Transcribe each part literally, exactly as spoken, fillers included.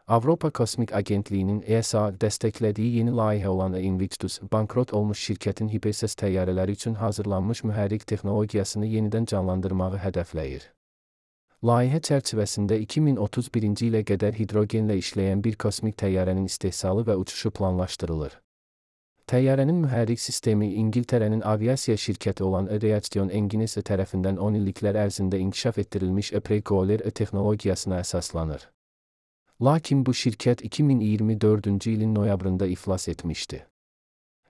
Avropa Kosmik Agentliyinin E S A dəstəklədiyi yeni layihə olan Invictus, bankrot olmuş şirkətin hiperses təyyarələri üçün hazırlanmış mühərrik texnologiyasını yenidən canlandırmağı hədəfləyir. Layihə çərçivəsində iki min otuz birinci ilə qədər hidrogenlə işləyən bir kosmik təyyarənin istehsalı və uçuşu planlaşdırılır. Təyyarənin mühərrik sistemi İngiltərənin aviasiya şirkəti olan Reaction Engines tərəfindən on illiklər ərzində inkişaf etdirilmiş Precoler texnologiyasına əsaslanır. Lakin bu şirkət iki min iyirmi dördüncü ilin noyabrında iflas etmişdi.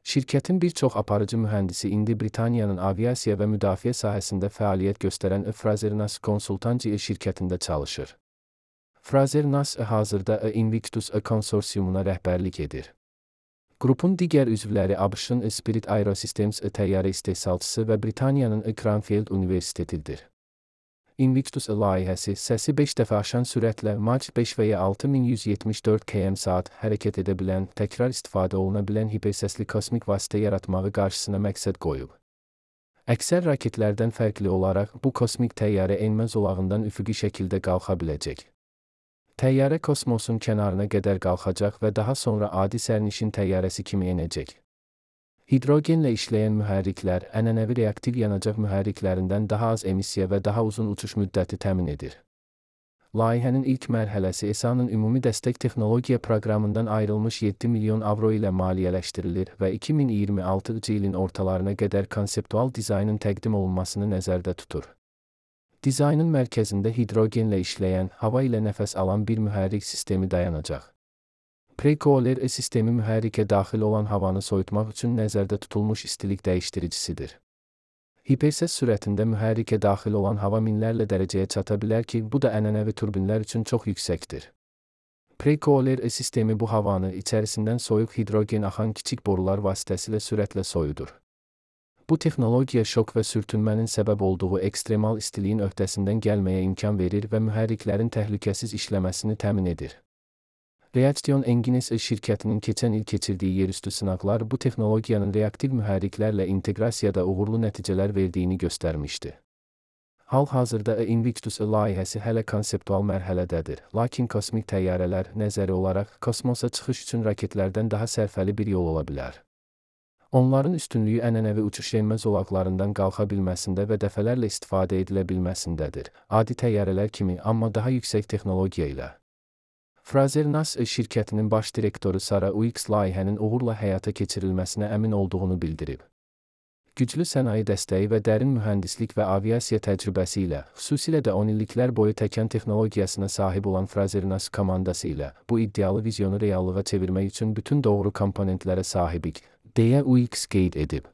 Şirkətin bir çox aparıcı mühəndisi indi Britaniyanın aviasiya və müdafiə sahəsində fəaliyyət göstərən Frazer-Nass Consultancy şirkətində çalışır. Frazer-Nass hazırda Invictus konsorsiumuna rəhbərlik edir. Qrupun digər üzvləri ABŞ-ın Spirit Aerosystems təyyarə istehsalçısı və Britaniyanın Cranfield Universitetidir. Invictus layihəsi səsi beş dəfə aşan sürətlə Mach beş və ya altı min yüz yetmiş dörd kilometr saat hərəkət edə bilən, təkrar istifadə oluna bilən hipersesli kosmik vasitə yaratmağı qarşısına məqsəd qoyub. Əksər raketlərdən fərqli olaraq bu kosmik təyyarə enmə zolağından üfüqi şəkildə qalxa biləcək. Təyyarə kosmosun kənarına qədər qalxacaq və daha sonra adi sərnişin təyyarəsi kimi enəcək. Hidrogenlə işləyən mühərriklər ənənəvi reaktiv yanacaq mühərriklərindən daha az emissiya və daha uzun uçuş müddəti təmin edir. Layihənin ilk mərhələsi E S A-nın ümumi dəstək texnologiya proqramından ayrılmış yeddi milyon avro ilə maliyyələşdirilir və iki min iyirmi altıncı ilin ortalarına qədər konseptual dizaynın təqdim olunmasını nəzərdə tutur. Dizaynın mərkəzində hidrogenlə işləyən, hava ilə nəfəs alan bir mühərrik sistemi dayanacaq. Precoler sistemi mühərrikə daxil olan havanı soyutmaq üçün nəzərdə tutulmuş istilik dəyişdiricisidir. Hiperses sürətində mühərrikə daxil olan hava minlərlə dərəcəyə çata bilər ki, bu da ənənəvi turbinlər üçün çox yüksəkdir. Precoler sistemi bu havanı içərisindən soyuq hidrogen axan kiçik borular vasitəsilə sürətlə soyudur. Bu texnologiya şok və sürtünmənin səbəb olduğu ekstremal istiliyin öhdəsindən gəlməyə imkan verir və mühərriklərin təhlükəsiz işləməsini təmin edir. Reaction Engines şirkətinin keçən il keçirdiyi yerüstü sınaqlar bu texnologiyanın reaktiv mühərriklərlə inteqrasiyada uğurlu nəticələr verdiyini göstərmişdi. Hal-hazırda Invictus layihəsi hələ konseptual mərhələdədir, lakin kosmik təyyarələr nəzəri olaraq kosmosa çıxış üçün raketlərdən daha sərfəli bir yol ola bilər. Onların üstünlüyü ənənəvi uçuş enmə zolaqlarından qalxa bilməsində və dəfələrlə istifadə edilə bilməsindədir, adi təyyarələr kimi, amma daha yüksək texnologiya ilə. Frazer-Nass şirkətinin baş direktoru Sarah Weeks layihənin uğurla həyata keçirilməsinə əmin olduğunu bildirib. Güclü sənaye dəstəyi və dərin mühəndislik və aviasiya təcrübəsi ilə, xüsusilə də on illiklər boyu təkan texnologiyasına sahib olan Frazer-Nass komandası ilə bu iddialı vizyonu reallığa çevirmək üçün bütün doğru komponentlərə sahibik, deyə Weeks qeyd edib.